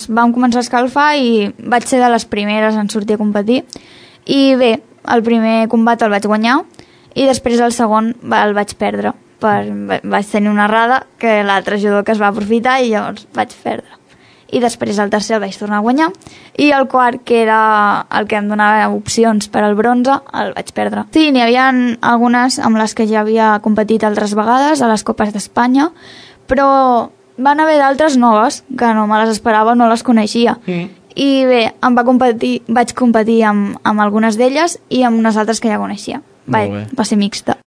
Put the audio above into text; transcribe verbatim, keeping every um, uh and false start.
Vam començar a escalfar i vaig ser de les primeres en sortir a competir. I bé, el primer combat el vaig guanyar i després el segon el vaig perdre. Per, vaig tenir una errada que l'altre jugador que es va aprofitar i llavors vaig perdre. I després el tercer el vaig tornar a guanyar i el quart, que era el que em donava opcions per al bronze, el vaig perdre. Sí, n'hi havia algunes amb les que ja havia competit altres vegades a les Copes d'Espanya, però van haver d'altres noves que no me les esperava, no les coneixia. Mm. I bé, em va competir, vaig competir amb, amb algunes d'elles i amb unes altres que ja coneixia. Va, va ser mixta.